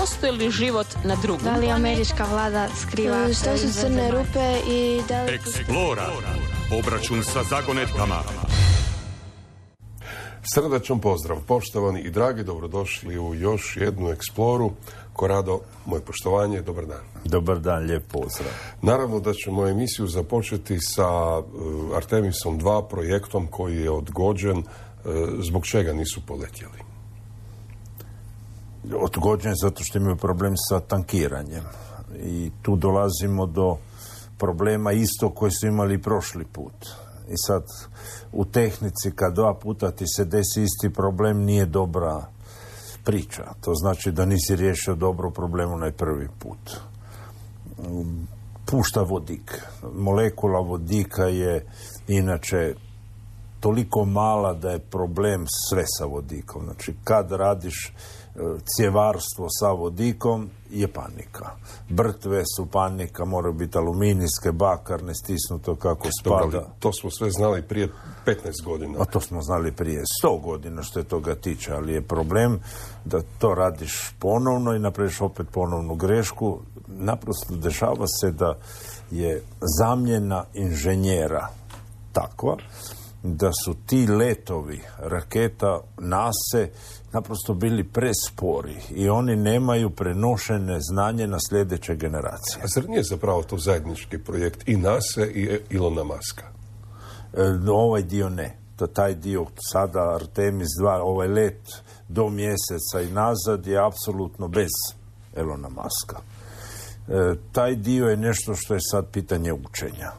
postoji li život na drugom? Da li američka vlada skriva? Što su crne rupe i da li... Eksplora. Obračun sa zagonetkama. Srdačan pozdrav, poštovani i dragi, dobrodošli u još jednu Eksploru. Korado, moje poštovanje, dobar dan. Dobar dan, lijep pozdrav. Naravno da ćemo emisiju započeti sa Artemisom 2 projektom koji je odgođen. Zbog čega nisu poletjeli? Odgođen zato što imaju problem sa tankiranjem. I tu dolazimo do problema isto koji su imali i prošli put. I sad u tehnici kad 2 puta ti se desi isti problem nije dobra priča. To znači da nisi riješio dobro problem onaj prvi put. Pušta vodik. Molekula vodika je inače toliko mala da je problem sve sa vodikom. Znači kad radiš cjevarstvo sa vodikom je panika. Brtve su panika, moraju biti aluminijske, bakarne, stisnuto kako spada. Dobro, to smo sve znali prije 15 godina. A to smo znali prije 100 godina što je toga tiče, ali je problem da to radiš ponovno i napraviš opet ponovnu grešku. Naprosto dešava se da je zamjena inženjera takva da su ti letovi raketa NASA naprosto bili prespori i oni nemaju prenošene znanje na sljedeće generacije. A zar nije zapravo to zajednički projekt i NASA i Ilona Muska? Ovaj dio ne. Taj dio sada Artemis 2, ovaj let do mjeseca i nazad je apsolutno bez Ilona Muska. Taj dio je nešto što je sad pitanje učenja.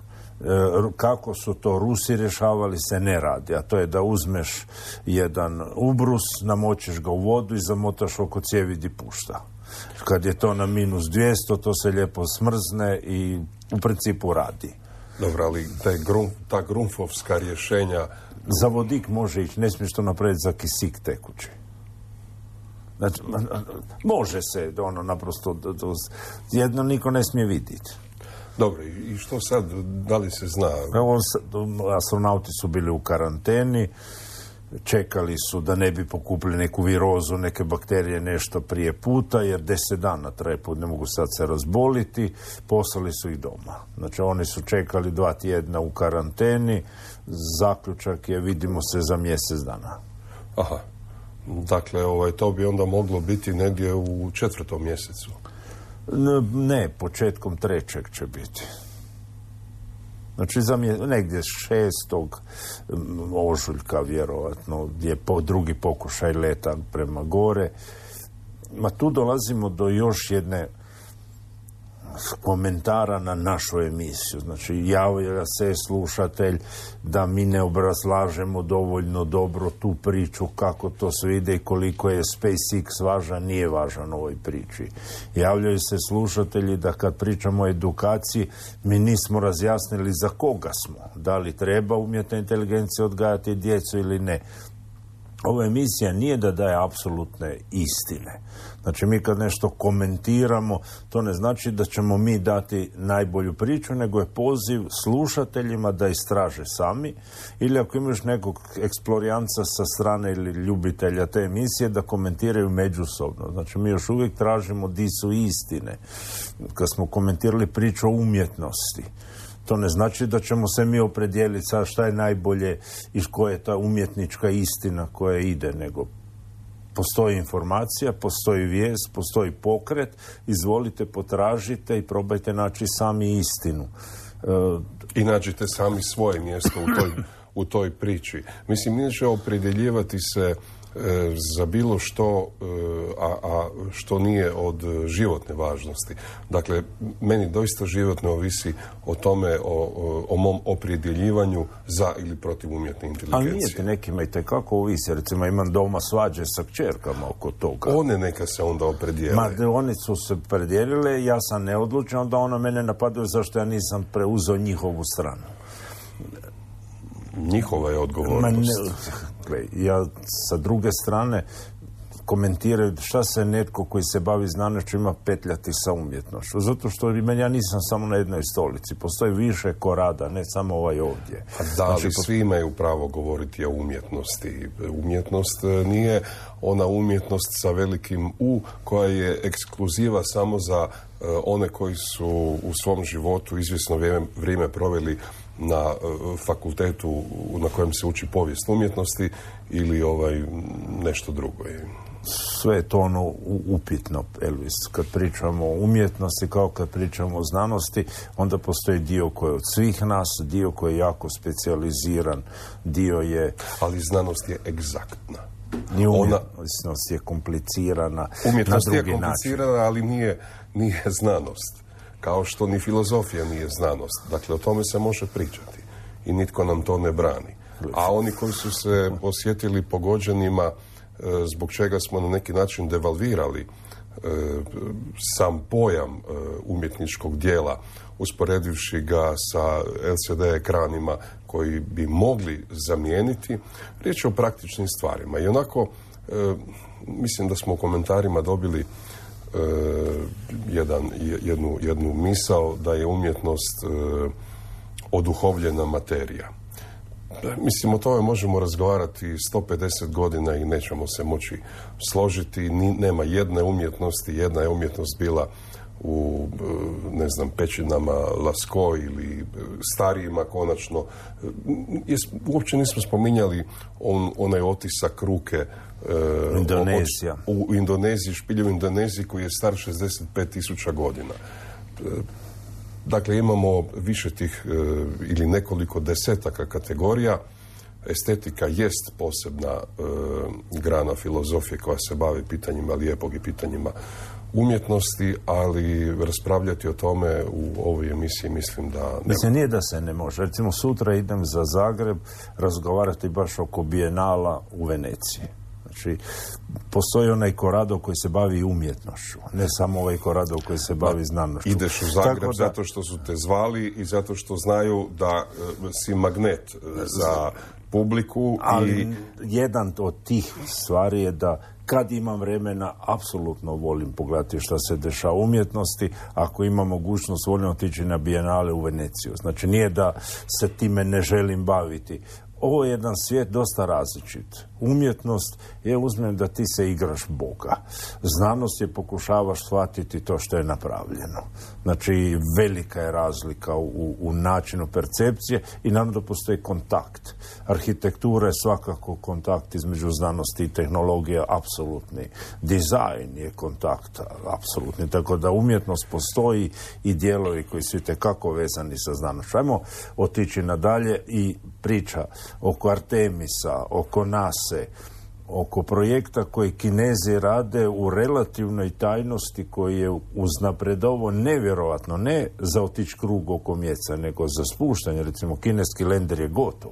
Kako su to Rusi rješavali se ne radi, a to je da uzmeš jedan ubrus, namočiš ga u vodu i zamotaš oko cijevi di pušta. Kad je to na -200, to se lijepo smrzne i u principu radi. Dobro, ali ta grunfovska rješenja... Za vodik može ići, ne smiješ to napraviti za kisik tekući. Znači, može se, naprosto, jedno niko ne smije vidjeti. Dobro, i što sad, da li se zna? Astronauti su bili u karanteni, čekali su da ne bi pokupili neku virozu, neke bakterije, nešto prije puta, jer 10 dana traje put, ne mogu sad se razboliti, poslali su ih doma. Znači, oni su čekali 2 tjedna u karanteni, zaključak je vidimo se za mjesec dana. Aha, dakle, to bi onda moglo biti negdje u 4. mjesecu. Ne, početkom 3. će biti. Znači, negdje 6. ožujka, vjerovatno, je drugi pokušaj leta prema gore. Tu dolazimo do još jedne komentara na našu emisiju. Znači, javlja se slušatelj da mi ne obrazlažemo dovoljno dobro tu priču, kako to sve ide i koliko je SpaceX važan, nije važan u ovoj priči. Javljaju se slušatelji da kad pričamo o edukaciji, mi nismo razjasnili za koga smo. Da li treba umjetna inteligencija odgajati djecu ili ne. Ova emisija nije da daje apsolutne istine. Znači, mi kad nešto komentiramo, to ne znači da ćemo mi dati najbolju priču, nego je poziv slušateljima da istraže sami, ili ako imaš nekog eksplorijanca sa strane ili ljubitelja te emisije, da komentiraju međusobno. Znači, mi još uvijek tražimo di su istine. Kad smo komentirali priču o umjetnosti, to ne znači da ćemo se mi opredijeliti sa šta je najbolje i koja je ta umjetnička istina koja ide, nego postoji informacija, postoji vijest, postoji pokret, izvolite, potražite i probajte naći sami istinu. I nađite sami svoje mjesto u toj priči. Mislim, neće opredjeljivati se za bilo što, a što nije od životne važnosti. Dakle, meni doista životno ovisi o tome, o mom opredjeljivanju za ili protiv umjetne inteligencije. Ali nije ti nekima i tekako ovisi. Recimo, imam doma svađe sa kćerkama oko toga. One neka se onda opredijele. Oni su se predijelile, ja sam neodlučan, onda ona mene napadaju zašto ja nisam preuzeo njihovu stranu. Njihova je odgovornost. Ja sa druge strane komentiraju šta se netko koji se bavi znanošću ima petljati sa umjetnošću. Zato što ja nisam samo na jednoj stolici. Postoji više korada, ne samo ovaj ovdje. Da, ali svi imaju pravo govoriti o umjetnosti. Umjetnost nije ona umjetnost sa velikim U koja je ekskluziva samo za one koji su u svom životu izvjesno vrijeme proveli na fakultetu na kojem se uči povijest umjetnosti ili nešto drugo. Sve je to ono upitno, Elvis. Kad pričamo o umjetnosti, kao kad pričamo o znanosti, onda postoji dio koji je od svih nas, dio koji je jako specijaliziran, dio je... Ali znanost je egzaktna. Umjetnost je komplicirana. Umjetnost je komplicirana, ali nije znanost. Kao što ni filozofija nije znanost. Dakle, o tome se može pričati. I nitko nam to ne brani. A oni koji su se osjetili pogođenima zbog čega smo na neki način devalvirali sam pojam umjetničkog dijela, usporedivši ga sa LCD ekranima koji bi mogli zamijeniti, riječ je o praktičnim stvarima. I onako, mislim da smo u komentarima dobili jednu misao da je umjetnost oduhovljena materija. Mislim, o tome možemo razgovarati 150 godina i nećemo se moći složiti. Nema jedne umjetnosti. Jedna je umjetnost bila u, pećinama Lascaux ili starijima konačno. Uopće nismo spominjali onaj otisak ruke Indonezija. U Indoneziji, špilj u Indoneziji koji je star 65.000 godina. Dakle, imamo više tih ili nekoliko desetaka kategorija. Estetika jest posebna grana filozofije koja se bavi pitanjima lijepog i pitanjima umjetnosti, ali raspravljati o tome u ovoj emisiji mislim da ne. Mislim, nije da se ne može. Recimo, sutra idem za Zagreb razgovarati baš oko Bijenala u Veneciji. Znači, postoji onaj Corrado koji se bavi umjetnošću, ne samo ovaj Corrado koji se bavi znanošću. Ideš u Zagreb zato što su te zvali i zato što znaju da si magnet za publiku. Ali jedan od tih stvari je da kad imam vremena, apsolutno volim pogledati šta se dešava u umjetnosti. Ako imam mogućnost, volim otići na Bijenale u Veneciju. Znači, nije da se time ne želim baviti. Ovo je jedan svijet dosta različit. Umjetnost je, uzmem da ti se igraš Boga. Znanost je pokušavaš shvatiti to što je napravljeno. Znači, velika je razlika u načinu percepcije i naravno da postoji kontakt. Arhitektura je svakako kontakt između znanosti i tehnologije, apsolutni. Dizajn je kontakt, apsolutni. Tako da umjetnost postoji i dijelovi koji su itekako vezani sa znanošću. Ajmo otići nadalje i priča oko Artemisa, oko NASA, oko projekta koji Kinezi rade u relativnoj tajnosti koji je uznapredovo nevjerovatno, ne za otići krug oko mjeseca, nego za spuštanje. Recimo, kineski lender je gotov.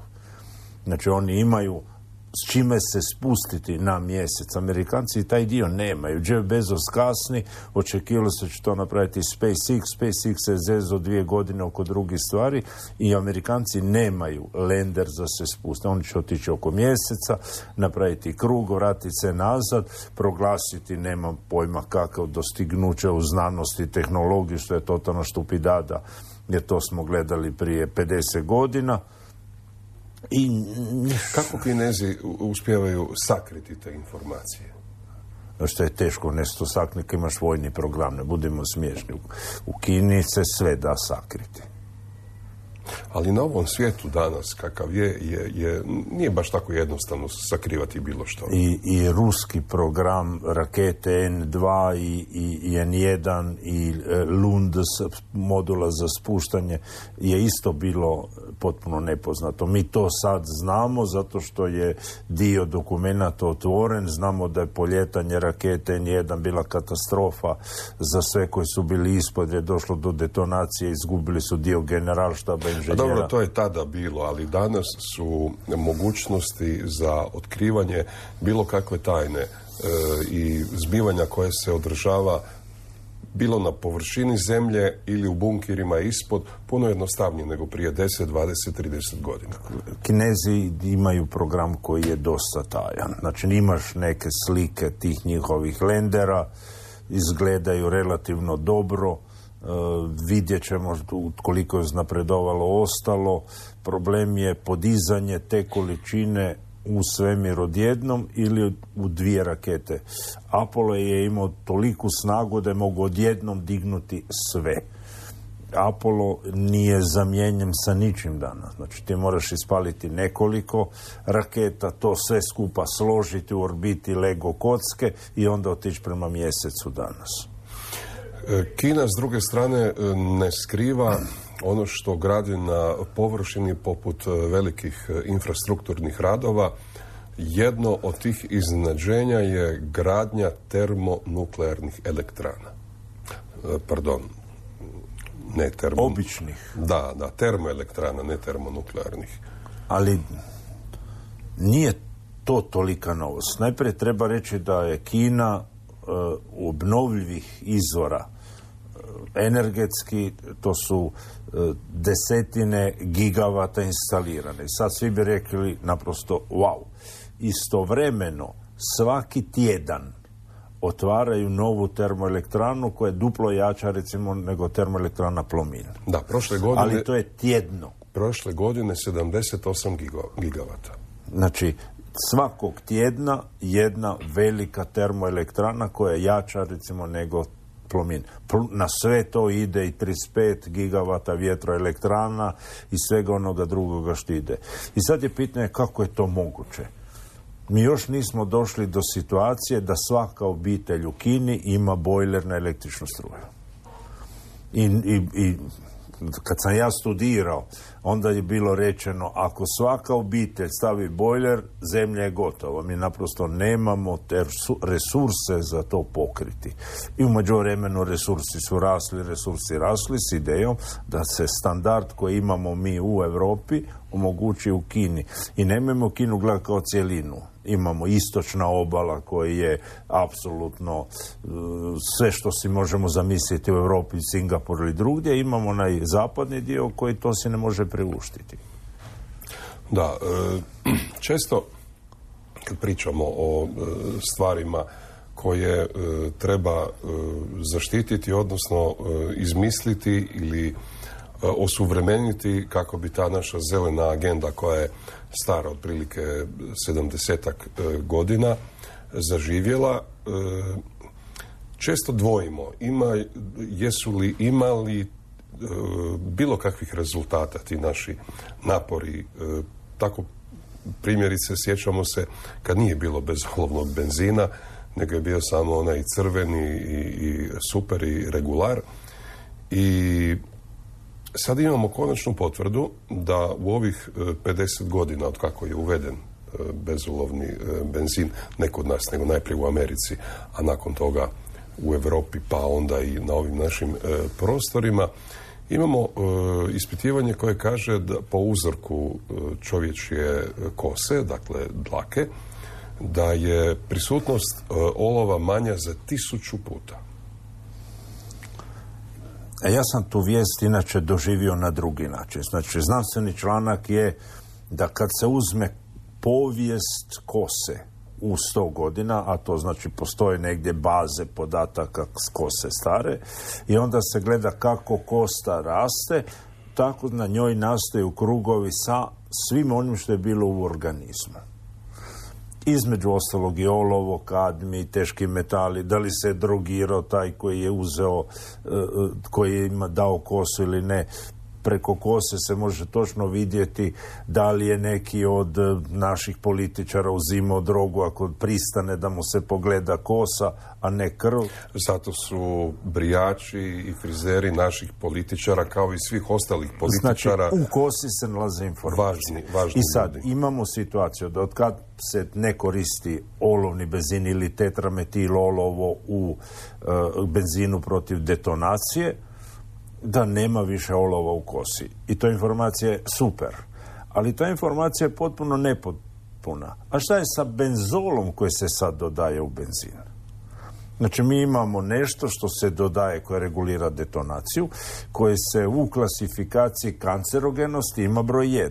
Znači, oni imaju s čime se spustiti na mjesec. Amerikanci taj dio nemaju. Jeff Bezos kasni, očekivalo se će to napraviti SpaceX. SpaceX se zezo 2 godine oko drugih stvari i Amerikanci nemaju lender za se spustiti. Oni će otići oko mjeseca, napraviti krug, vratiti se nazad, proglasiti, nemam pojma kakav dostignuće u znanosti i tehnologiji, što je totalno štupidada, jer to smo gledali prije 50 godina. I kako Kinezi uspijevaju sakriti te informacije? Što je teško nešto sakriti, imaš vojni program, ne budemo smiješni. U Kini se sve da sakriti. Ali na ovom svijetu danas, kakav nije baš tako jednostavno sakrivati bilo što. I ruski program rakete N2 i N1 i Lund modula za spuštanje je isto bilo potpuno nepoznato. Mi to sad znamo zato što je dio dokumenata otvoren. Znamo da je poljetanje rakete N1 bila katastrofa za sve koji su bili ispod, je došlo do detonacije, izgubili su dio generalštaba inženjera. Dobro, to je tada bilo, ali danas su mogućnosti za otkrivanje bilo kakve tajne i zbivanja koje se održava bilo na površini zemlje ili u bunkirima ispod, puno jednostavnije nego prije 10, 20, 30 godina. Kinezi imaju program koji je dosta tajan. Znači, imaš neke slike tih njihovih lendera, izgledaju relativno dobro, vidjet ćemo koliko je napredovalo ostalo. Problem je podizanje te količine u svemir odjednom ili u 2 rakete. Apollo je imao toliku snagu da je mogu odjednom dignuti sve. Apollo nije zamijenjen sa ničim danas. Znači, ti moraš ispaliti nekoliko raketa, to sve skupa složiti u orbiti Lego kocke i onda otići prema mjesecu danas. Kina, s druge strane, ne skriva ono što gradi na površini poput velikih infrastrukturnih radova. Jedno od tih iznenađenja je gradnja termonuklearnih elektrana. Pardon, ne običnih. Da, termoelektrana, ne termonuklearnih. Ali nije to tolika novost. Najprije treba reći da je Kina obnovljivih izvora energetski, to su desetine gigavata instalirane. Sad svi bi rekli naprosto wow. Istovremeno svaki tjedan otvaraju novu termoelektranu koja je duplo jača recimo nego termoelektrana Plomin. Da, prošle godine... Ali to je tjedno. Prošle godine 78 gigavata. Znači, svakog tjedna jedna velika termoelektrana koja je jača recimo nego Plomin. Na sve to ide i 35 gigavata vjetroelektrana i svega onoga drugoga što ide. I sad je pitanje kako je to moguće. Mi još nismo došli do situacije da svaka obitelj u Kini ima bojler na električnu struju. I kad sam ja studirao, onda je bilo rečeno ako svaka obitelj stavi bojler, zemlja je gotova. Mi naprosto nemamo te resurse za to pokriti. I u međuvremenu resursi su rasli s idejom da se standard koji imamo mi u Europi omogući u Kini. I nemojmo Kinu gledati kao cjelinu. Imamo istočna obala koja je apsolutno sve što si možemo zamisliti u Europi, Singapuru ili drugdje. Imamo onaj zapadni dio koji to si ne može priuštiti. Da, često kad pričamo o stvarima koje treba zaštititi, odnosno izmisliti ili osuvremeniti kako bi ta naša zelena agenda koja je stara otprilike 70-ak godina zaživjela, često dvojimo jesu li imali bilo kakvih rezultata ti naši napori. Tako primjerice sjećamo se kad nije bilo bezolovnog benzina, nego je bio samo onaj crveni i super i regular. I sad imamo konačnu potvrdu da u ovih 50 godina od kako je uveden bezolovni benzin, ne kod nas, nego najprije u Americi, a nakon toga u Europi, pa onda i na ovim našim prostorima, imamo ispitivanje koje kaže da po uzorku čovječje kose, dakle dlake, da je prisutnost olova manja za 1000 puta. Ja sam tu vijest inače doživio na drugi način. Znači, znanstveni članak je da kad se uzme povijest kose u 100 godina, a to znači postoje negdje baze podataka s kose stare, i onda se gleda kako kosta raste, tako na njoj nastaju krugovi sa svim onim što je bilo u organizmu. Između ostalog i olovo, kadmi, teški metali, da li se drogirao taj koji je uzeo, koji je ima dao kosu ili ne. Preko kose se može točno vidjeti da li je neki od naših političara uzimao drogu ako pristane da mu se pogleda kosa, a ne krv. Zato su brijači i frizeri naših političara kao i svih ostalih političara. Znači, u kosi se nalaze informacije. Važni I sad ljudi. imamo situaciju da otkad se ne koristi olovni benzin ili tetrametil olovo u benzinu protiv detonacije, da nema više olova u kosi. I to informacija je super. Ali ta informacija je potpuno nepotpuna. A šta je sa benzolom koji se sad dodaje u benzin? Znači mi imamo nešto što se dodaje koje regulira detonaciju, koje se u klasifikaciji kancerogenosti ima broj 1.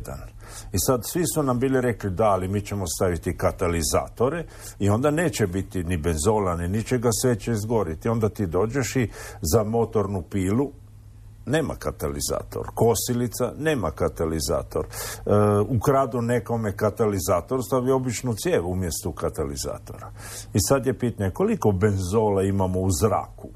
I sad svi su nam bili rekli da, ali mi ćemo staviti katalizatore i onda neće biti ni benzola, ni ničega, sve će izgoriti. Onda ti dođeš i za motornu pilu nema katalizator. Kosilica nema katalizator. Ukradu nekome katalizator, stavi običnu cijev umjesto katalizatora. I sad je pitanje koliko benzola imamo u zraku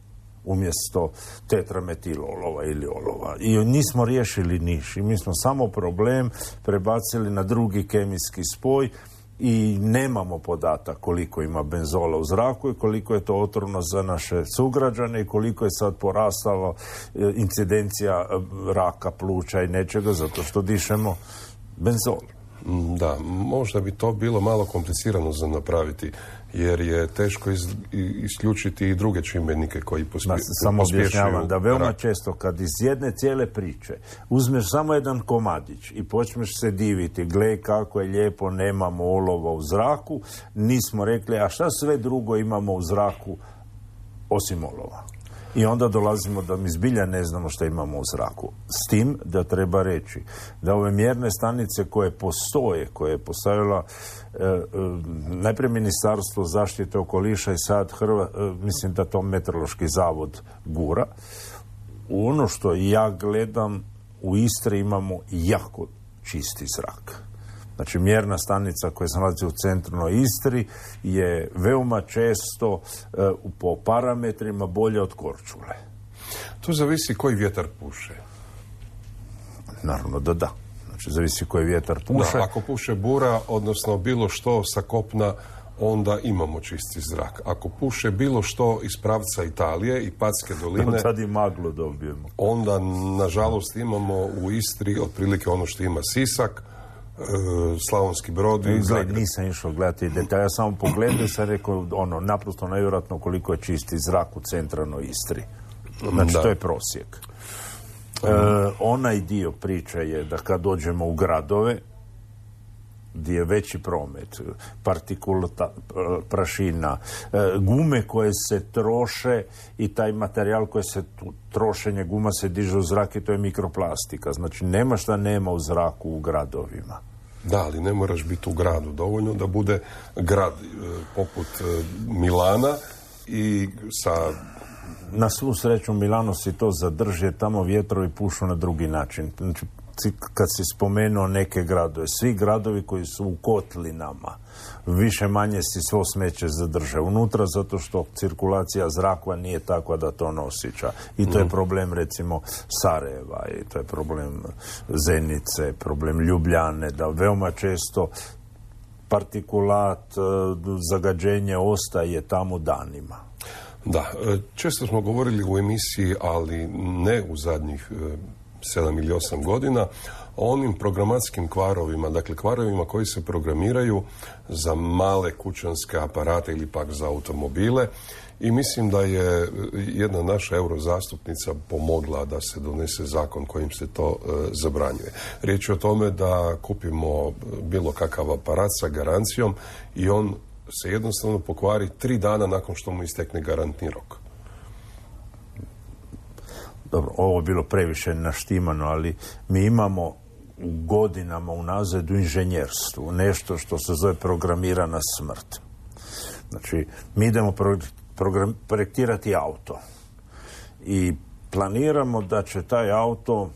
umjesto tetrametilolova ili olova. I nismo riješili niš. I mi smo samo problem prebacili na drugi kemijski spoj i nemamo podatak koliko ima benzola u zraku i koliko je to otrovno za naše sugrađane i koliko je sad porastalo incidencija raka pluća i nečega zato što dišemo benzol. Da, možda bi to bilo malo komplicirano za napraviti, jer je teško isključiti i druge čimbenike koji pospješuju. Samo objašnjavam da veoma često kad iz jedne cijele priče uzmeš samo jedan komadić i počneš se diviti, gle kako je lijepo, nemamo olova u zraku, nismo rekli, a šta sve drugo imamo u zraku osim olova. I onda dolazimo da mi zbilja ne znamo što imamo u zraku. S tim da treba reći da ove mjerne stanice koje postoje, koje je postavila najprije Ministarstvo zaštite okoliša i sad mislim da to Meteorološki zavod gura. Ono što ja gledam, u Istri imamo jako čisti zrak. Znači, mjerna stanica koja se nalazi u centralnoj Istri je veoma često po parametrima bolja od Korčule. To zavisi koji vjetar puše. Naravno da da. Znači, zavisi koji vjetar puše. Da, ako puše bura, odnosno bilo što sa kopna, onda imamo čisti zrak. Ako puše bilo što iz pravca Italije i Patske doline, sad i maglu dobijemo. Onda, nažalost, imamo u Istri otprilike ono što ima Sisak, Slavonski Brod i Zagreb. Nisam išao gledati detalje, ja samo pogledao i sam rekao naprosto nevjerojatno koliko je čisti zrak u centralnoj Istri. Znači, to je prosjek. Onaj dio priče je da kad dođemo u gradove gdje je veći promet, prašina, gume koje se troše i taj materijal koji se trošenje guma se diže u zrak i to je mikroplastika. Znači, nema šta nema u zraku u gradovima. Da, ali ne moraš biti u gradu. Dovoljno da bude grad poput Milana i sa... Na svu sreću Milano si to zadrži, tamo vjetrovi pušu na drugi način. Znači, kad si spomenuo neke gradove, svi gradovi koji su u kotlinama, više manje si svo smeće zadrže unutra, zato što cirkulacija zraka nije takva da to nosića. I to je problem, recimo, Sarajeva, i to je problem Zenice, problem Ljubljane, da veoma često partikulat, zagađenje ostaje tamo danima. Da, često smo govorili u emisiji, ali ne u zadnjih 7 ili 8 godina, o onim programatskim kvarovima, dakle kvarovima koji se programiraju za male kućanske aparate ili pak za automobile, i mislim da je jedna naša eurozastupnica pomogla da se donese zakon kojim se to zabranjuje. Riječ je o tome da kupimo bilo kakav aparat sa garancijom i on se jednostavno pokvari 3 dana nakon što mu istekne garantni rok. Dobro, ovo je bilo previše naštimano, ali mi imamo u godinama unazad u inženjerstvu nešto što se zove programirana smrt. Znači, mi idemo projektirati auto i planiramo da će taj auto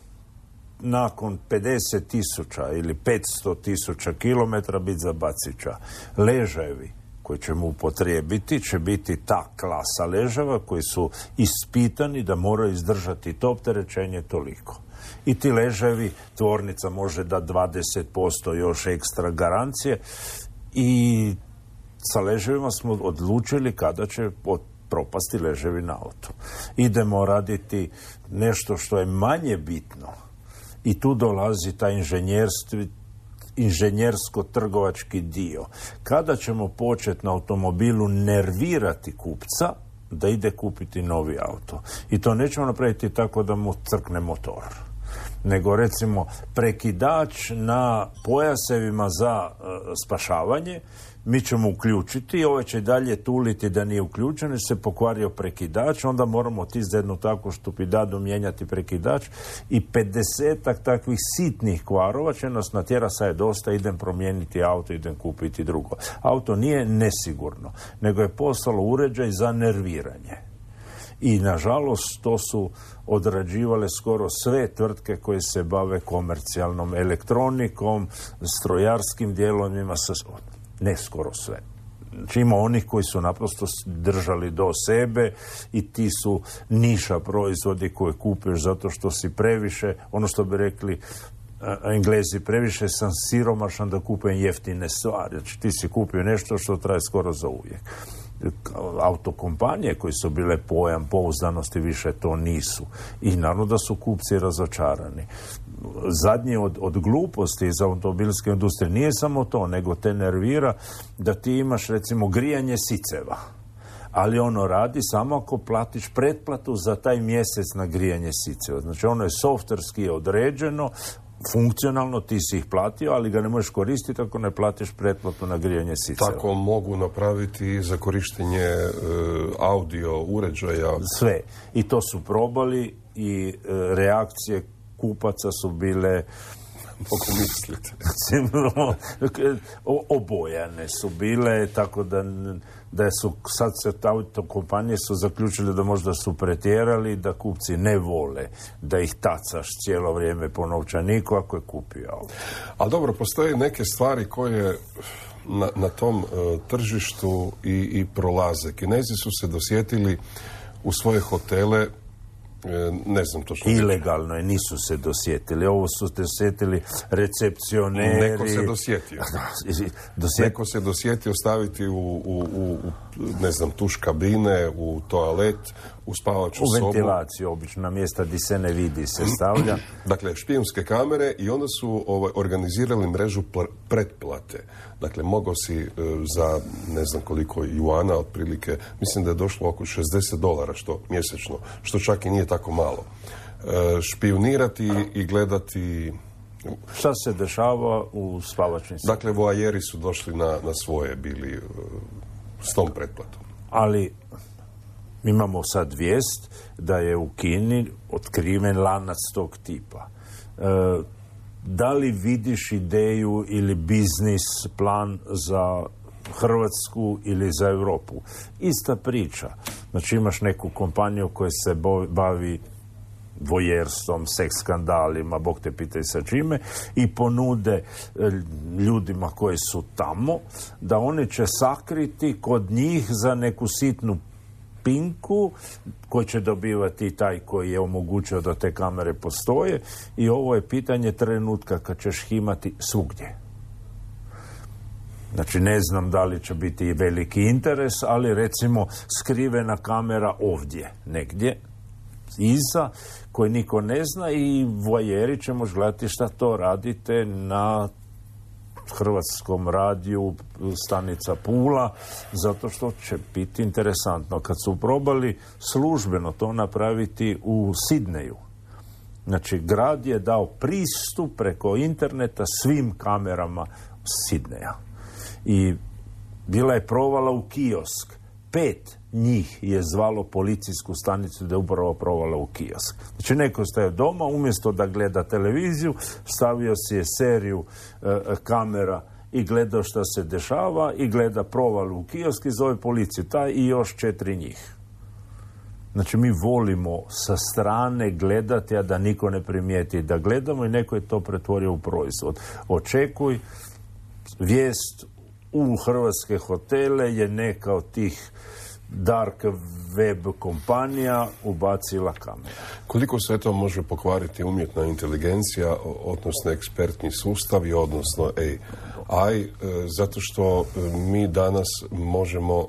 nakon 50.000 ili 500.000 kilometara biti za bacića. Ležajevi koji ćemo upotrijebiti će biti ta klasa ležava koji su ispitani da moraju izdržati to opterećenje toliko. I ti ležajevi, tvornica može da 20% još ekstra garancije i sa ležajevima smo odlučili kada će propasti ležajevi na auto. Idemo raditi nešto što je manje bitno i tu dolazi taj inženjersko-trgovački dio. Kada ćemo početi na automobilu nervirati kupca da ide kupiti novi auto. I to nećemo napraviti tako da mu crkne motor. nego recimo prekidač na pojasevima za spašavanje, mi ćemo uključiti, ovaj će dalje tuliti da nije uključen, jer se pokvario prekidač, onda moramo otići za jednu takvu štupidadu mijenjati prekidač i 50-ak takvih sitnih kvarova će nas natjera, sad je dosta, idem promijeniti auto, idem kupiti drugo. Auto nije nesigurno, nego je postalo uređaj za nerviranje. I nažalost to su odrađivale skoro sve tvrtke koje se bave komercijalnom elektronikom, strojarskim dijelovima, ne skoro sve. Znači ima onih koji su naprosto držali do sebe i ti su niša proizvodi koje kupiš zato što si previše, ono što bi rekli Englezi, previše sam siromašan da kupujem jeftine stvari. Znači ti si kupio nešto što traje skoro za uvijek. Autokompanije koje su bile pojam pouzdanosti više to nisu. I naravno da su kupci razočarani. Zadnje od gluposti iz automobilske industrije nije samo to, nego te nervira da ti imaš recimo grijanje siceva. Ali ono radi samo ako platiš pretplatu za taj mjesec na grijanje siceva. Znači ono je softverski određeno, funkcionalno ti si ih platio, ali ga ne možeš koristiti ako ne platiš pretplatu na grijanje siceva. Tako mogu napraviti i za korištenje audio uređaja. Sve. I to su probali i reakcije kupaca su bile mogu misliti. Obojane su bile, tako da su sad se kompanije su zaključile da možda su pretjerali, da kupci ne vole da ih tacaš cijelo vrijeme po novčaniku ako je kupio auto. Ali dobro, postoje neke stvari koje na tom tržištu i prolaze. Kinezi su se dosjetili u svoje hotele, ne znam točno. Ilegalno je, nisu se dosjetili. Ovo su dosjetili recepcioneri. Neko se dosjetio. Neko se dosjetio staviti u ne znam, tuš kabine, u toalet, u spavaču sobu. U ventilaciju, obično, na mjesta gdje se ne vidi se stavlja. Dakle, špijunske kamere i onda su organizirali mrežu pretplate. Dakle, mogao si za ne znam koliko juana, otprilike, mislim da je došlo oko $60 što mjesečno, što čak i nije tako malo. Špijunirati i gledati... Šta se dešava u spavačnim sobama? Dakle, voajeri su došli na svoje, bili s tom pretplatom. Ali imamo sad vijest da je u Kini otkriven lanac tog tipa. Da li vidiš ideju ili biznis plan za Hrvatsku ili za Europu? Ista priča. Znači imaš neku kompaniju koja se bavi vojerstvom, seks skandalima, Bog te pitaj sa čime, i ponude ljudima koji su tamo da oni će sakriti kod njih za neku sitnu pinku koji će dobivati taj koji je omogućio da te kamere postoje, i ovo je pitanje trenutka kad ćeš imati svugdje. Znači ne znam da li će biti veliki interes, ali recimo skrivena kamera ovdje negdje iza koje niko ne zna i voajeri će moći gledati šta to radite na Hrvatskom radiju, stanica Pula, zato što će biti interesantno. Kad su probali službeno to napraviti u Sidneju, znači grad je dao pristup preko interneta svim kamerama Sidneja i bila je provala u kiosk. 5 njih je zvalo policijsku stanicu da je upravo provala u kiosk. Znači neko staje doma, umjesto da gleda televiziju, stavio si je seriju kamera i gledao šta se dešava i gleda provalu u kiosk i zove policiju. Taj i još 4 njih. Znači mi volimo sa strane gledati, a da niko ne primijeti da gledamo, i neko je to pretvorio u proizvod. Očekuj, vijest u hrvatske hotele je neka od tih dark web kompanija ubacila kameru. Koliko se to može pokvariti umjetna inteligencija, odnosno ekspertni sustavi, odnosno AI, zato što mi danas možemo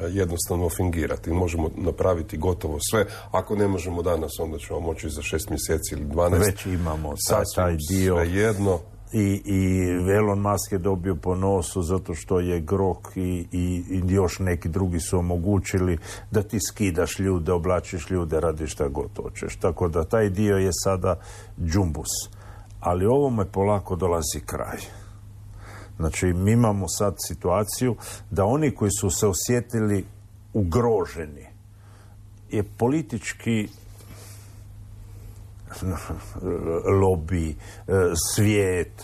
jednostavno fingirati, možemo napraviti gotovo sve. Ako ne možemo danas, onda ćemo moći za 6 mjeseci ili 12. Već imamo taj dio. Svejedno. i Elon Musk je dobio po nosu zato što je Grok i još neki drugi su omogućili da ti skidaš ljude, oblačiš ljude, radiš šta god hoćeš. Tako da taj dio je sada džumbus. Ali ovome polako dolazi kraj. Znači, mi imamo sad situaciju da oni koji su se osjetili ugroženi je politički lobby, svijet,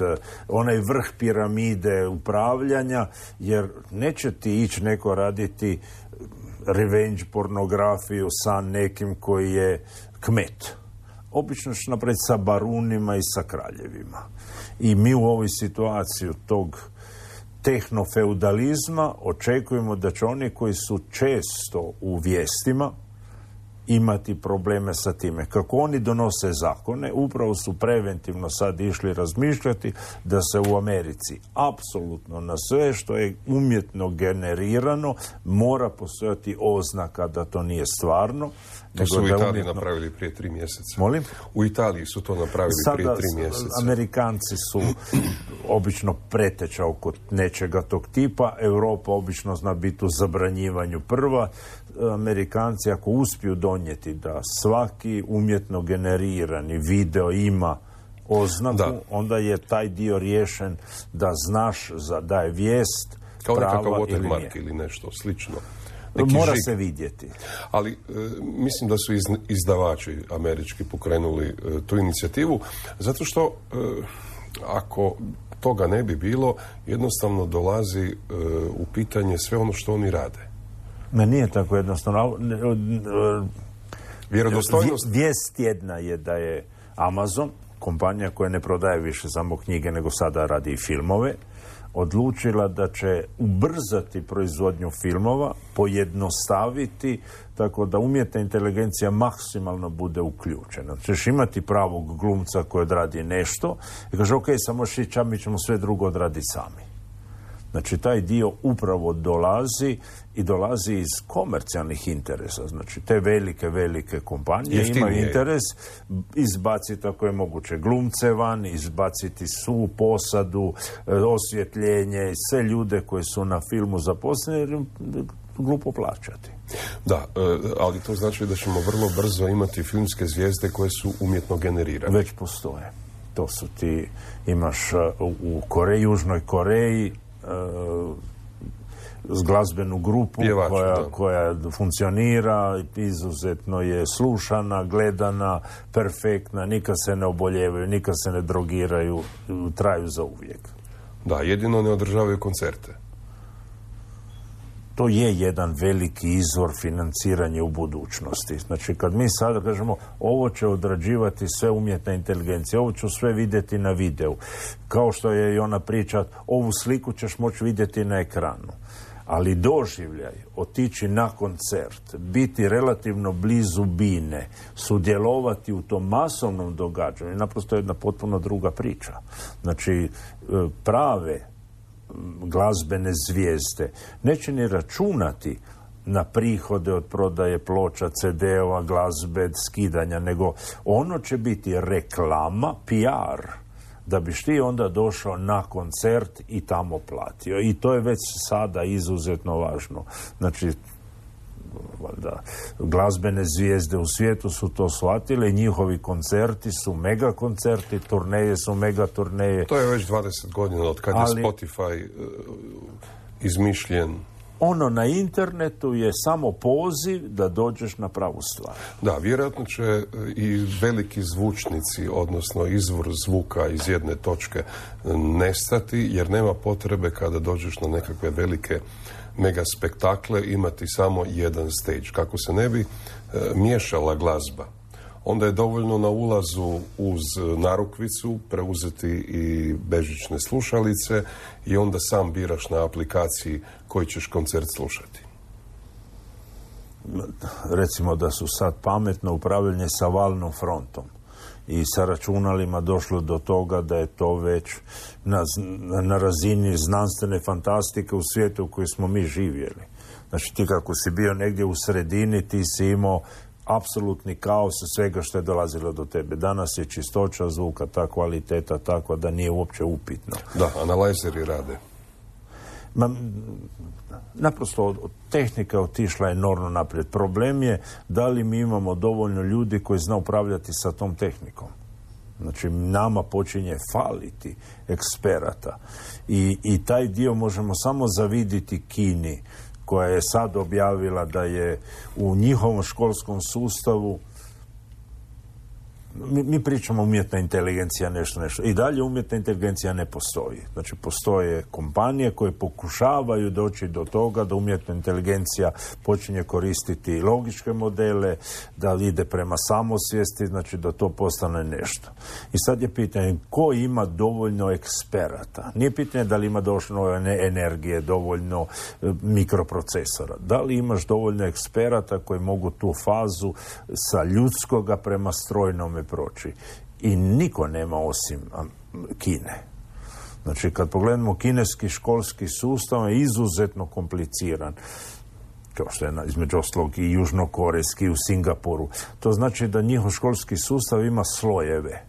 onaj vrh piramide upravljanja, jer neće ti ići neko raditi revenge pornografiju sa nekim koji je kmet. Obično ćeš napraviti sa barunima i sa kraljevima. I mi u ovoj situaciji tog tehnofeudalizma očekujemo da će oni koji su često u vijestima imati probleme sa time. Kako oni donose zakone, upravo su preventivno sad išli razmišljati da se u Americi apsolutno na sve što je umjetno generirano mora postojati oznaka da to nije stvarno. To su u Italiji napravili prije 3 mjeseca. Molim? U Italiji su to napravili prije 3 mjeseca. Amerikanci su obično preteča oko nečega tog tipa. Europa obično zna biti u zabranjivanju prva. Amerikanci ako uspiju donijeti da svaki umjetno generirani video ima oznaku, onda je taj dio riješen da znaš da je vijest kao prava nekakav ili nije. watermark ili nešto slično. Mora se vidjeti. Ali mislim da su izdavači američki pokrenuli tu inicijativu, zato što ako toga ne bi bilo, jednostavno dolazi u pitanje sve ono što oni rade. Ma nije tako jednostavno. Vjerodostojnost... Vijest tjedna je da je Amazon, kompanija koja ne prodaje više samo knjige, nego sada radi i filmove, odlučila da će ubrzati proizvodnju filmova, pojednostaviti, tako da umjetna inteligencija maksimalno bude uključena. Ćeš imati pravog glumca koji odradi nešto i kaže, ok, samo šića, mi ćemo sve drugo odraditi sami. Znači, taj dio upravo dolazi iz komercijalnih interesa. Znači, te velike kompanije Jeftinije imaju interes izbaciti ako je moguće glumce van, izbaciti svu posadu, osvjetljenje i sve ljude koji su na filmu zaposleni, jer im glupo plaćati. Da, ali to znači da ćemo vrlo brzo imati filmske zvijezde koje su umjetno generirane. Već postoje. To su ti, imaš u Koreji, Južnoj Koreji, glazbenu grupu koja funkcionira, izuzetno je slušana, gledana, perfektna, nikad se ne oboljevaju, nikad se ne drogiraju, traju za uvijek. Da, jedino ne održavaju koncerte. To je jedan veliki izvor financiranja u budućnosti. Znači, kad mi sada kažemo ovo će odrađivati sve umjetna inteligencija, ovo ću sve vidjeti na videu, kao što je i ona priča, ovu sliku ćeš moći vidjeti na ekranu. Ali doživljaj, otići na koncert, biti relativno blizu bine, sudjelovati u tom masovnom događanju, je naprosto jedna potpuno druga priča. Znači, prave glazbene zvijezde neće ni računati na prihode od prodaje ploča, CD-ova, glazbe, skidanja, nego ono će biti reklama, PR, da biš ti onda došao na koncert i tamo platio. I to je već sada izuzetno važno. Znači, valjda, glazbene zvijezde u svijetu su to shvatile i njihovi koncerti su mega koncerti, turneje su mega turneje. To je već 20 godina od kad je Spotify izmišljen. Ono na internetu je samo poziv da dođeš na pravu stvar. Da, vjerojatno će i veliki zvučnici, odnosno izvor zvuka iz jedne točke nestati, jer nema potrebe kada dođeš na nekakve velike mega spektakle imati samo jedan stage. Kako se ne bi miješala glazba, onda je dovoljno na ulazu uz narukvicu preuzeti i bežične slušalice i onda sam biraš na aplikaciji koji ćeš koncert slušati. Recimo da su sad pametno upravljanje sa valnom frontom i sa računalima došlo do toga da je to već na razini znanstvene fantastike u svijetu u kojoj smo mi živjeli. Znači, ti kako si bio negdje u sredini, ti si imao apsolutni kaos svega što je dolazilo do tebe. Danas je čistoća zvuka, ta kvaliteta takva da nije uopće upitno. Da, analajzeri rade. Naprosto tehnika je otišla enormno naprijed. Problem je da li mi imamo dovoljno ljudi koji zna upravljati sa tom tehnikom. Znači, nama počinje faliti eksperata. I taj dio možemo samo zaviditi Kini, koja je sad objavila da je u njihovom školskom sustavu, mi pričamo umjetna inteligencija, nešto. I dalje umjetna inteligencija ne postoji. Znači, postoje kompanije koje pokušavaju doći do toga da umjetna inteligencija počinje koristiti logičke modele, da ide prema samosvijesti, znači da to postane nešto. I sad je pitanje ko ima dovoljno eksperata. Nije pitanje da li ima dovoljno energije, dovoljno mikroprocesora. Da li imaš dovoljno eksperata koji mogu tu fazu sa ljudskoga prema strojnome proći. I niko nema osim Kine. Znači, kad pogledamo kineski školski sustav je izuzetno kompliciran. Kao što je između ostalog i južnokorejski u Singapuru. To znači da njihov školski sustav ima slojeve.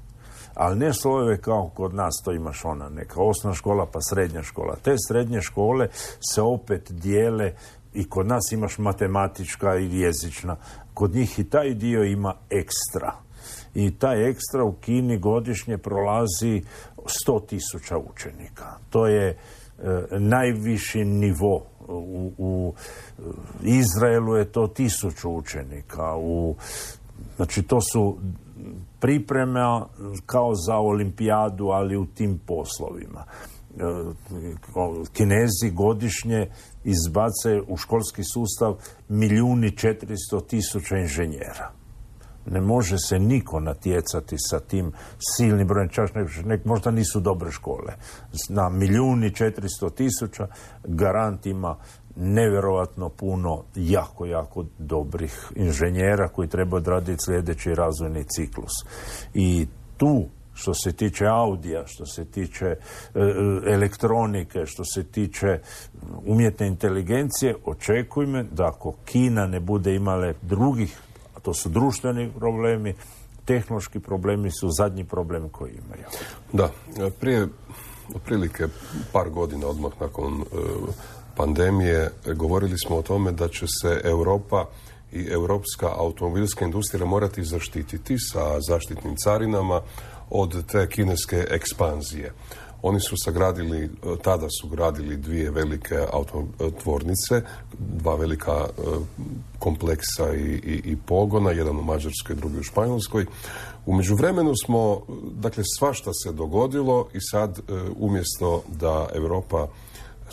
Ali ne slojeve kao kod nas, to imaš ona neka osnovna škola pa srednja škola. Te srednje škole se opet dijele i kod nas imaš matematička i jezična. Kod njih i taj dio ima ekstra. I taj ekstra u Kini godišnje prolazi 100.000 učenika. To je najviši nivo. U Izraelu je to 1.000 učenika. Znači, to su priprema kao za olimpijadu, ali u tim poslovima. Kinezi godišnje izbace u školski sustav 1.400.000 inženjera. Ne može se niko natjecati sa tim silnim brojem, čak možda nisu dobre škole. Na 1.400.000 garant ima nevjerojatno puno jako dobrih inženjera koji treba odraditi sljedeći razvojni ciklus. I tu, što se tiče audija, što se tiče elektronike, što se tiče umjetne inteligencije, očekujme da ako Kina ne bude imale drugih, a to su društveni problemi, tehnološki problemi su zadnji problemi koji imaju. Da, prije otprilike par godina odmah nakon pandemije govorili smo o tome da će se Europa i europska automobilska industrija morati zaštititi sa zaštitnim carinama od te kineske ekspanzije. Oni su tada su gradili dvije velike autotvornice, dva velika kompleksa i pogona, jedan u Mađarskoj, drugi u Španjolskoj. U međuvremenu smo, dakle, svašta se dogodilo i sad umjesto da Europa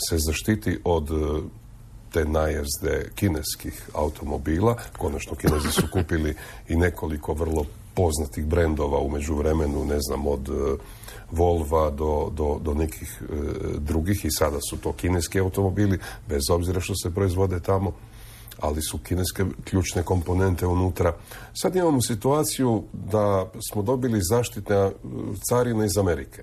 se zaštiti od te najezde kineskih automobila, konačno Kinezi su kupili i nekoliko vrlo poznatih brendova u međuvremenu, ne znam, od Volva do nekih drugih, i sada su to kineski automobili, bez obzira što se proizvode tamo, ali su kineske ključne komponente unutra. Sad imamo situaciju da smo dobili zaštitne carine iz Amerike.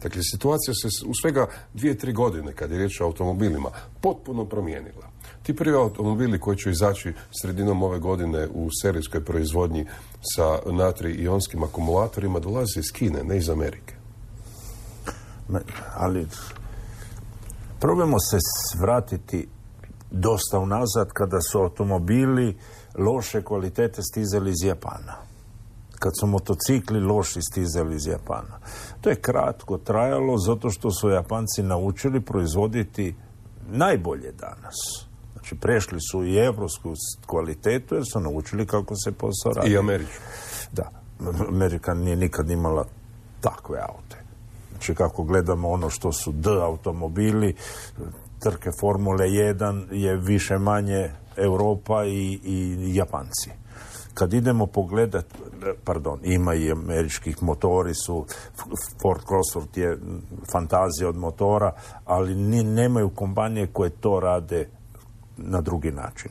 Dakle, situacija se u svega 2-3 godine, kad je riječ o automobilima, potpuno promijenila. Ti prvi automobili koji će izaći sredinom ove godine u serijskoj proizvodnji sa natrij-ionskim akumulatorima dolaze iz Kine, ne iz Amerike. Ali probajmo se vratiti dosta unazad kada su automobili loše kvalitete stizali iz Japana. Kad su motocikli loši stizali iz Japana. To je kratko trajalo zato što su Japanci naučili proizvoditi najbolje danas. Znači, prešli su i evropsku kvalitetu jer su naučili kako se posao radi. I američku. Da, Amerika nije nikad imala takve aute. Znači, kako gledamo ono što su automobili, trke Formule 1 je više manje Europa i Japanci. Kad idemo pogledat, ima i američkih motori su, Ford Cosworth je fantazija od motora, ali nemaju kompanije koje to rade na drugi način.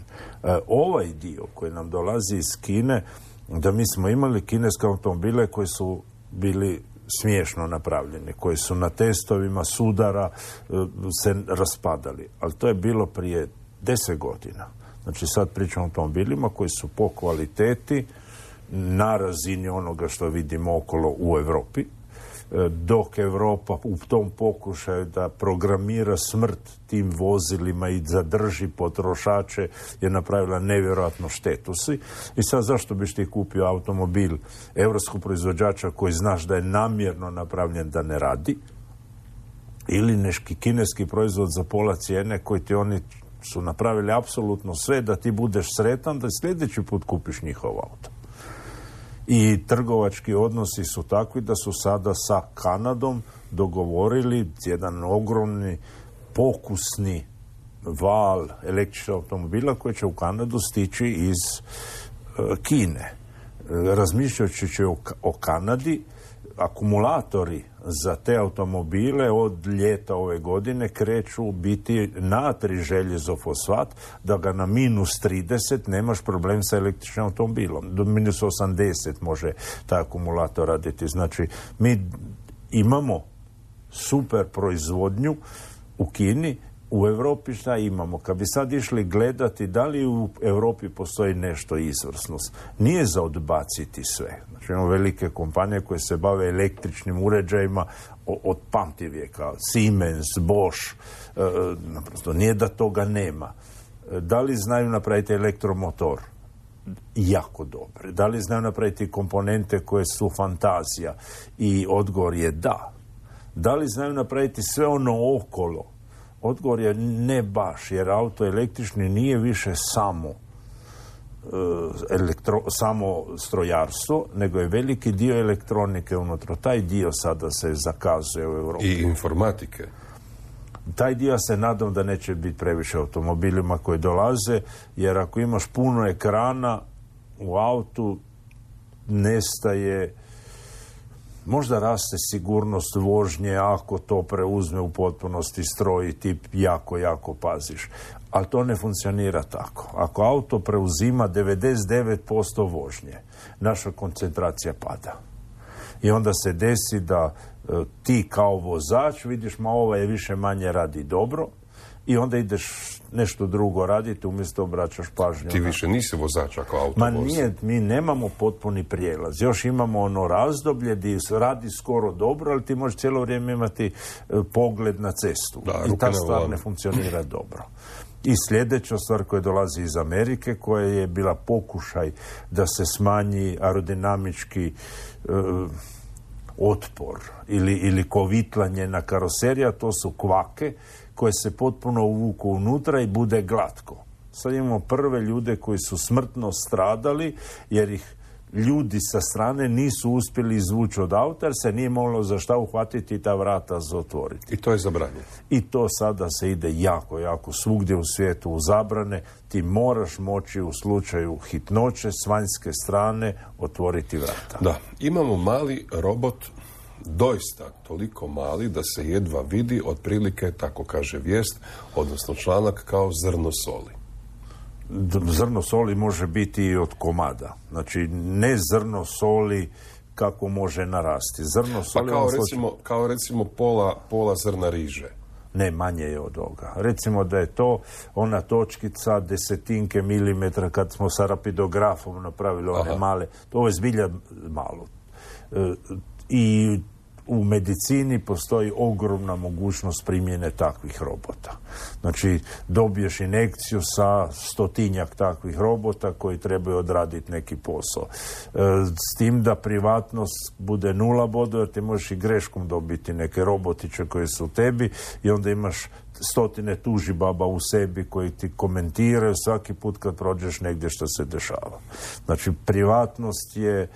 Ovaj dio koji nam dolazi iz Kine, da mi smo imali kineske automobile koji su bili smiješno napravljeni, koji su na testovima sudara se raspadali. Ali to je bilo prije 10 godina. Znači sad pričamo o automobilima koji su po kvaliteti na razini onoga što vidimo okolo u Europi, dok Europa u tom pokušaju da programira smrt tim vozilima i zadrži potrošače je napravila nevjerojatno štetu si. I sad zašto biš ti kupio automobil europskog proizvođača koji znaš da je namjerno napravljen da ne radi, ili neki kineski proizvod za pola cijene koji ti oni su napravili apsolutno sve da ti budeš sretan da sljedeći put kupiš njihov auto. I trgovački odnosi su takvi da su sada sa Kanadom dogovorili jedan ogromni pokusni val električnih automobila koji će u Kanadu stići iz Kine. Razmišljajući o Kanadi, akumulatori za te automobile od ljeta ove godine kreću biti natrij željezofosfat, da ga na -30 nemaš problem sa električnim automobilom. Do -80 može taj akumulator raditi. Znači, mi imamo super proizvodnju u Kini. U Europi šta imamo? Kad bi sad išli gledati da li u Europi postoji nešto izvrsnost, nije za odbaciti sve. Znači imamo velike kompanije koje se bave električnim uređajima od pamtivijeka, Siemens, Bosch, naprosto nije da toga nema. Da li znaju napraviti elektromotor? Jako dobre. Da li znaju napraviti komponente koje su fantazija? I odgovor je da. Da li znaju napraviti sve ono okolo? Odgovor je ne baš, jer auto električni nije više samo strojarstvo, nego je veliki dio elektronike unutra. Taj dio sada se zakazuje u Europi. I informatike. Taj dio se nadam da neće biti previše automobilima koji dolaze, jer ako imaš puno ekrana u autu, nestaje. Možda raste sigurnost vožnje ako to preuzme u potpunosti stroj i ti jako paziš. Ali to ne funkcionira tako. Ako auto preuzima 99% vožnje, naša koncentracija pada. I onda se desi da ti kao vozač vidiš, ovaj je više manje radi dobro, i onda ideš nešto drugo raditi, umjesto obraćaš pažnju. Ti više nisi vozač ako auto Ma nije, mi nemamo potpuni prijelaz. Još imamo ono razdoblje gdje radi skoro dobro, ali ti možeš cijelo vrijeme imati pogled na cestu. I ta stvar ne funkcionira dobro. I sljedeća stvar koja dolazi iz Amerike, koja je bila pokušaj da se smanji aerodinamički otpor ili kovitlanje na karoserija, to su kvake koje se potpuno uvuku unutra i bude glatko. Sad imamo prve ljude koji su smrtno stradali jer ih ljudi sa strane nisu uspjeli izvući od auta jer se nije moglo za šta uhvatiti i ta vrata zatvoriti. I to je zabranjeno. I to sada se ide jako svugdje u svijetu u zabrane. Ti moraš moći u slučaju hitnoće s vanjske strane otvoriti vrata. Da, imamo mali robot, doista toliko mali da se jedva vidi, otprilike, tako kaže vijest, odnosno članak, kao zrno soli. Zrno soli može biti i od komada. Znači, ne zrno soli kako može narasti. Zrno soli... Pa kao recimo pola zrna riže. Ne, manje je od ovoga. Recimo da je to ona točkica desetinke milimetra kad smo sa rapidografom napravili one male. To je zbilja malo. I u medicini postoji ogromna mogućnost primjene takvih robota. Znači, dobiješ injekciju sa 100-tinjak takvih robota koji trebaju odraditi neki posao. S tim da privatnost bude 0 bodova, jer ti možeš i greškom dobiti neke robotiće koji su u tebi i onda imaš 100 tužibaba u sebi koji ti komentiraju svaki put kad prođeš negdje što se dešava. Znači, privatnost je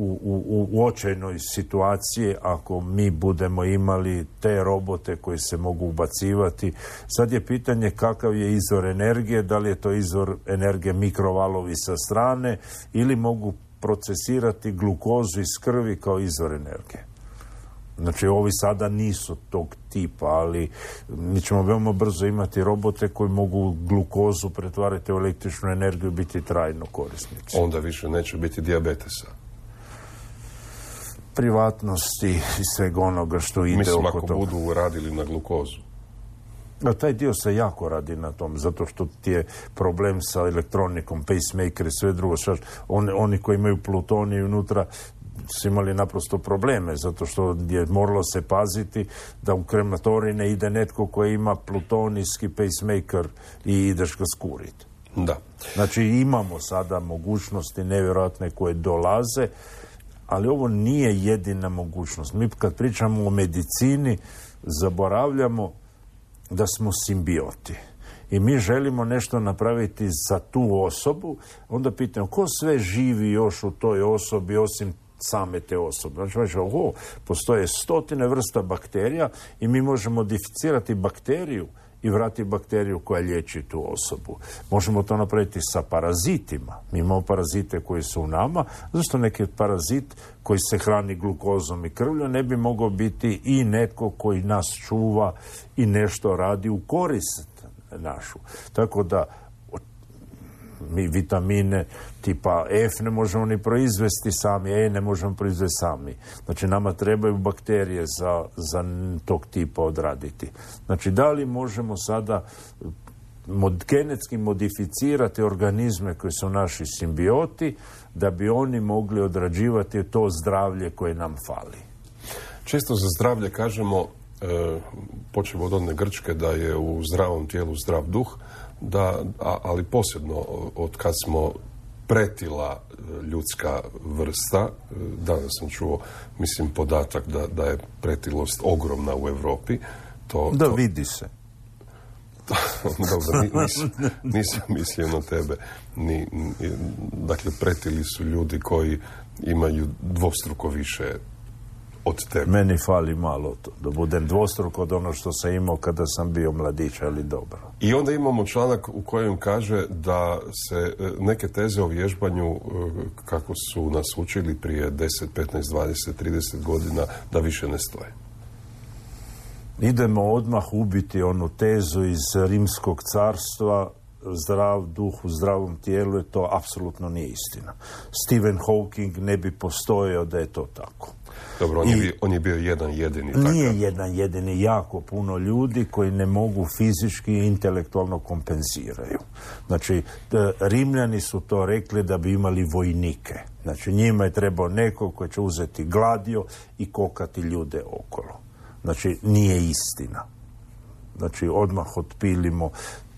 u očajnoj situaciji ako mi budemo imali te robote koji se mogu ubacivati. Sad je pitanje kakav je izvor energije, da li je to izvor energije mikrovalovi sa strane ili mogu procesirati glukozu iz krvi kao izvor energije. Znači, ovi sada nisu tog tipa, ali mi ćemo veoma brzo imati robote koji mogu glukozu pretvarati u električnu energiju i biti trajno korisnici. Onda više neće biti dijabetesa. Privatnosti i svega onoga što ide oko toga. Mislim, ako budu radili na glukozu. A taj dio se jako radi na tom, zato što ti je problem sa elektronikom, pacemaker i sve drugo. Oni koji imaju plutonij unutra su imali naprosto probleme, zato što je moralo se paziti da u krematorij ne ide netko koji ima plutonijski pacemaker i ideš ga skuriti. Da. Znači imamo sada mogućnosti nevjerojatne koje dolaze, ali ovo nije jedina mogućnost. Mi kad pričamo o medicini zaboravljamo da smo simbioti. I mi želimo nešto napraviti za tu osobu, onda pitamo ko sve živi još u toj osobi osim same te osobe. Znači, postoje 100 vrsta bakterija i mi možemo modificirati bakteriju i vratiti bakteriju koja liječi tu osobu. Možemo to napraviti sa parazitima. Mi imamo parazite koji su u nama. Zašto neki parazit koji se hrani glukozom i krvlju ne bi mogao biti i netko koji nas čuva i nešto radi u korist našu. Tako da mi vitamine tipa F ne možemo ni proizvesti sami, E ne možemo proizvesti sami. Znači nama trebaju bakterije za tog tipa odraditi. Znači da li možemo sada genetski modificirati organizme koji su naši simbioti da bi oni mogli odrađivati to zdravlje koje nam fali? Često za zdravlje kažemo, počev od one Grčke, da je u zdravom tijelu zdrav duh, ali posebno od kad smo pretila ljudska vrsta, danas sam čuo, mislim, podatak da je pretilost ogromna u Europi. Vidi se. Dobro, nisam mislio na tebe. Dakle, pretili su ljudi koji imaju dvostruko više od tebe. Meni fali malo to, da budem dvostruko od ono što sam imao kada sam bio mladić, ali dobro. I onda imamo članak u kojem kaže da se neke teze o vježbanju, kako su nas učili prije 10, 15, 20, 30 godina, da više ne stoje. Idemo odmah ubiti onu tezu iz Rimskog carstva, zdrav duh u zdravom tijelu, to apsolutno nije istina. Stephen Hawking ne bi postojao da je to tako. Dobro, on je bio jedan jedini. Nije jedan jedini, jako puno ljudi koji ne mogu fizički i intelektualno kompenziraju. Znači, Rimljani su to rekli da bi imali vojnike. Znači, njima je trebao neko koji će uzeti gladio i kokati ljude okolo. Znači, nije istina. Znači, odmah otpilimo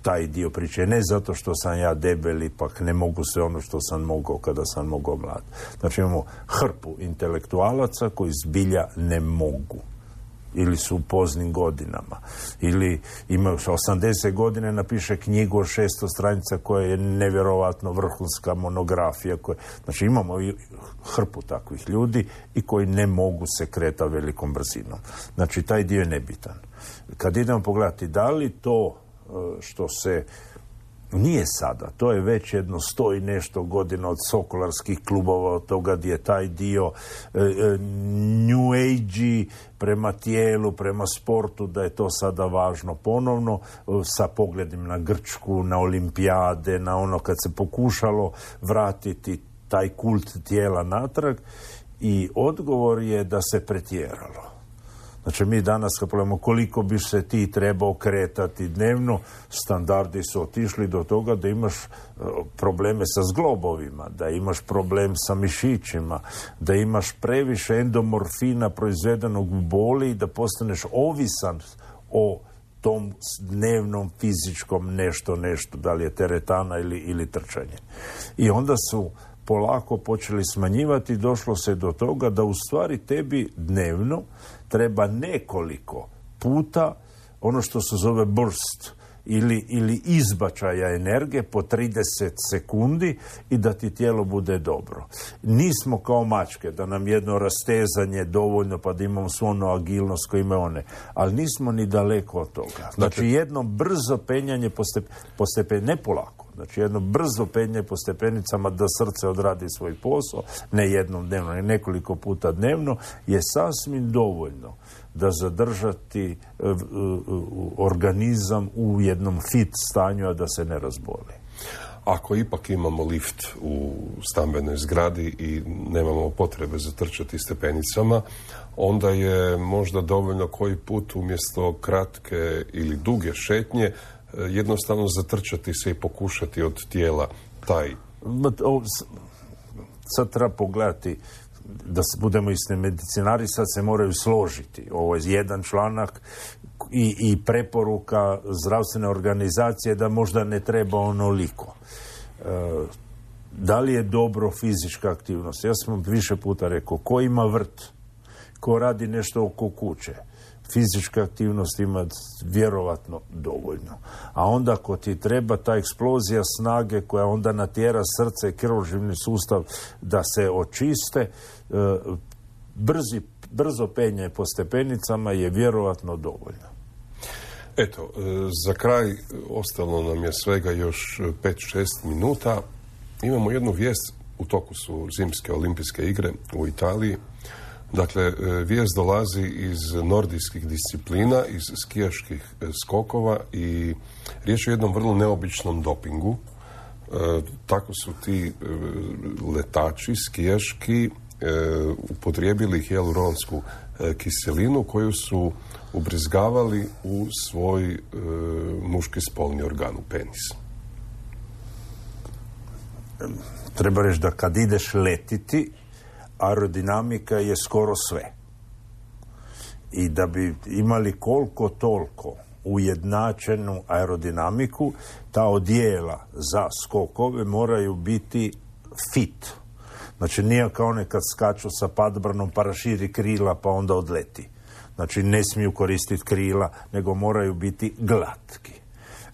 taj dio priče. Ne zato što sam ja debel, ipak ne mogu sve ono što sam mogao kada sam mogao mlad. Znači, imamo hrpu intelektualaca koji zbilja ne mogu. Ili su u poznim godinama. Ili imaju 80 godine, napiše knjigu od 600 stranica koja je nevjerovatno vrhunska monografija. Znači, imamo i hrpu takvih ljudi i koji ne mogu se kretati velikom brzinom. Znači, taj dio je nebitan. Kad idemo pogledati da li to što se nije sada, to je već jedno 100 i nešto godina od sokolarskih klubova, od toga gdje je taj dio New Age prema tijelu, prema sportu, da je to sada važno ponovno, sa pogledom na Grčku, na olimpijade, na ono kad se pokušalo vratiti taj kult tijela natrag, i odgovor je da se pretjeralo. Znači, mi danas kad pogledamo koliko bi se ti trebao kretati dnevno, standardi su otišli do toga da imaš probleme sa zglobovima, da imaš problem sa mišićima, da imaš previše endomorfina proizvedenog u boli i da postaneš ovisan o tom dnevnom fizičkom nešto, da li je teretana ili trčanje. I onda su polako počeli smanjivati, došlo se do toga da u stvari tebi dnevno treba nekoliko puta ono što se zove burst ili izbačaja energije po 30 sekundi i da ti tijelo bude dobro. Nismo kao mačke, da nam jedno rastezanje dovoljno pa da imamo svu onu agilnost koju imaju one, ali nismo ni daleko od toga. Znači jedno brzo penjanje po stepeni, ne polako, znači jedno brzo penjanje po stepenicama da srce odradi svoj posao, ne jednom dnevno, ne nekoliko puta dnevno, je sasvim dovoljno da zadržati organizam u jednom fit stanju, a da se ne razboli. Ako ipak imamo lift u stambenoj zgradi i nemamo potrebe zatrčati stepenicama, onda je možda dovoljno koji put umjesto kratke ili duge šetnje jednostavno zatrčati se i pokušati od tijela taj. Sad treba pogledati, da budemo isni medicinari, sad se moraju složiti. Ovo je jedan članak i preporuka zdravstvene organizacije da možda ne treba onoliko. Da li je dobro fizička aktivnost? Ja sam više puta rekao, ko ima vrt, ko radi nešto oko kuće, fizička aktivnost ima vjerovatno dovoljno. A onda ako ti treba ta eksplozija snage koja onda natjera srce i krvožilni sustav da se očiste, brzo penje po stepenicama je vjerovatno dovoljno. Eto, za kraj ostalo nam je svega još 5-6 minuta. Imamo jednu vijest, u toku su zimske olimpijske igre u Italiji. Dakle, vijest dolazi iz nordijskih disciplina, iz skijaških skokova i riječ je o jednom vrlo neobičnom dopingu. Tako su ti letači skijaški upotrijebili hijaluronsku kiselinu koju su ubrizgavali u svoj muški spolni organ, u penis. Treba reći da kad ideš letiti, aerodinamika je skoro sve. I da bi imali koliko toliko ujednačenu aerodinamiku, ta odjela za skokove moraju biti fit. Znači nije kao one kad skaču sa padbranom pa raširi krila pa onda odleti. Znači ne smiju koristiti krila, nego moraju biti glatki.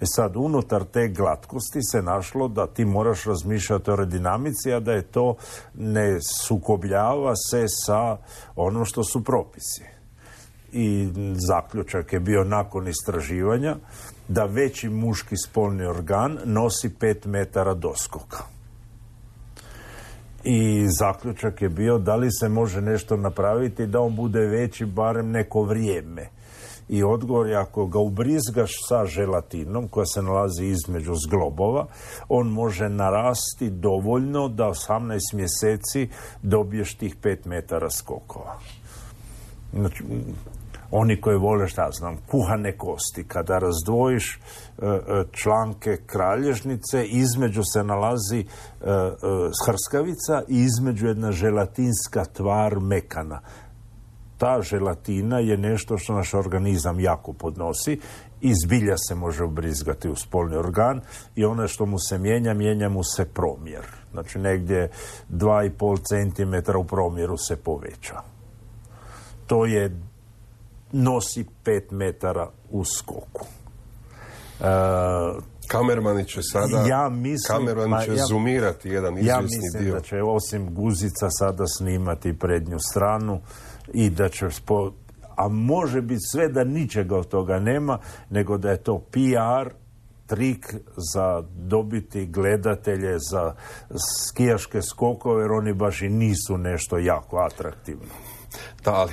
Sad, unutar te glatkosti se našlo da ti moraš razmišljati o aerodinamici, a da je to ne sukobljava se sa onom što su propisi. I zaključak je bio nakon istraživanja da veći muški spolni organ nosi 5 metara doskoka. I zaključak je bio da li se može nešto napraviti da on bude veći barem neko vrijeme. I odgovor je ako ga ubrizgaš sa želatinom koja se nalazi između zglobova, on može narasti dovoljno da 18 mjeseci dobiješ tih 5 metara skokova. Znači, oni koji vole, šta znam, kuhane kosti, kada razdvojiš članke kralježnice, između se nalazi hrskavica i između jedna želatinska tvar mekana. Ta želatina je nešto što naš organizam jako podnosi i zbilja se može ubrizgati u spolni organ i ono što mu se mijenja mu se promjer. Znači negdje 2,5 cm u promjeru se poveća. To je nosi 5 metara u skoku. Kamermani će sada zoomirati jedan izvjesni dio. Ja mislim da će osim guzica sada snimati prednju stranu i da će a može biti sve da ničega od toga nema, nego da je to PR trik za dobiti gledatelje za skijaške skokove, jer oni baš i nisu nešto jako atraktivno. Da, ali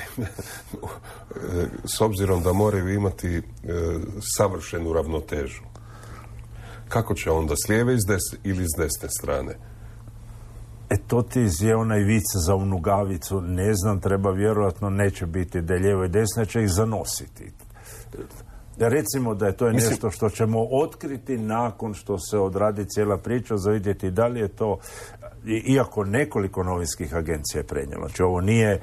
s obzirom da moraju imati savršenu ravnotežu, kako će onda s lijeve ili s desne strane? To ti je onaj vic za unugavicu, ne znam, treba vjerojatno neće biti da je lijevo i desno, će ih zanositi. Recimo da je to nešto što ćemo otkriti nakon što se odradi cijela priča, za vidjeti da li je to, iako nekoliko novinskih agencija je prenijelo. Znači ovo nije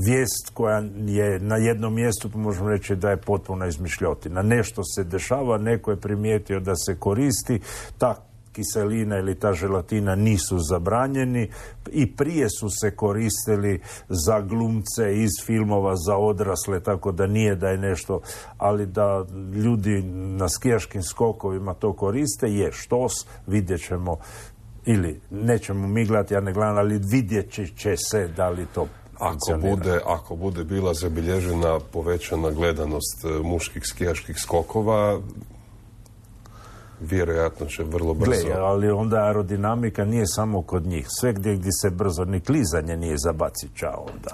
vijest koja je na jednom mjestu, pa možemo reći da je potpuno izmišljotina. Nešto se dešava, neko je primijetio da se koristi, ta kiselina ili ta želatina nisu zabranjeni i prije su se koristili za glumce iz filmova za odrasle, tako da nije da je nešto, ali da ljudi na skijaškim skokovima to koriste je štos, vidjet ćemo ili nećemo mi gledati, ja ne gledam, ali vidjet će se da li to Ako bude bila zabilježena povećana gledanost muških skijaških skokova, vjerojatno će vrlo brzo. Ali onda aerodinamika nije samo kod njih. Sve gdje se brzo, ni klizanje nije zabacit čao onda.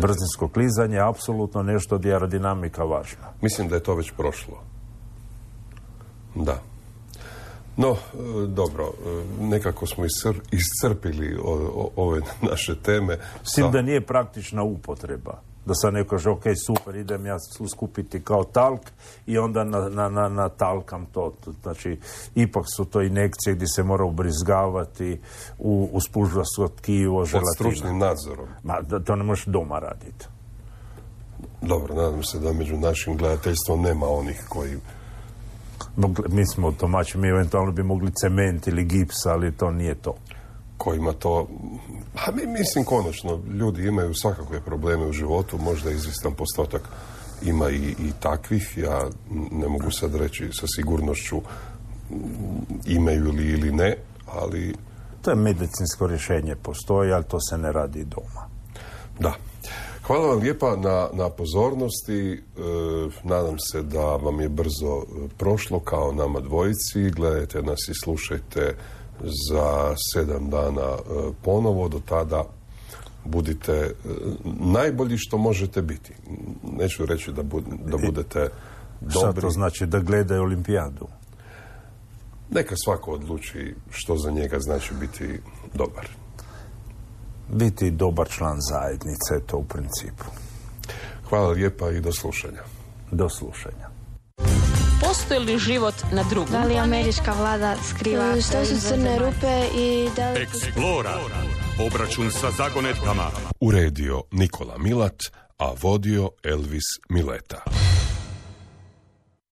Brzinsko klizanje je apsolutno nešto gdje je aerodinamika važna. Mislim da je to već prošlo. Da. No, dobro, nekako smo iscrpili ove naše teme. S tim da nije praktična upotreba. Da sad neko kaže, ok, super, idem ja skupiti kao talk i onda na talkam to. Znači, ipak su to injekcije gdje se mora ubrizgavati u spužvasto tkivo, želatina. Pod stručnim nadzorom. To ne možeš doma raditi. Dobro, nadam se da među našim gledateljstvom nema onih koji... Mi smo domaći, mi eventualno bi mogli cement ili gips, ali to nije to. Kojima to... A mislim, konačno, ljudi imaju svakakve probleme u životu, možda izvjestan postotak ima i takvih. Ja ne mogu sad reći sa sigurnošću imaju li ili ne, ali... To je medicinsko rješenje, postoji, ali to se ne radi doma. Da. Hvala vam lijepa na pozornosti. Nadam se da vam je brzo prošlo kao nama dvojici. Gledajte nas i slušajte za 7 dana ponovo. Do tada budite najbolji što možete biti. Neću reći da budete dobri. Šta to znači? Da gledaju olimpijadu? Neka svako odluči što za njega znači biti dobar. Biti dobar član zajednice, to u principu. Hvala lijepa i do slušanja. Do slušanja. Postoji li život na drugom? Da li američka vlada skriva Što su crne rupe i da li... Explora. Obračun sa zagonetkama. Uredio Nikola Milat, a vodio Elvis Mileta.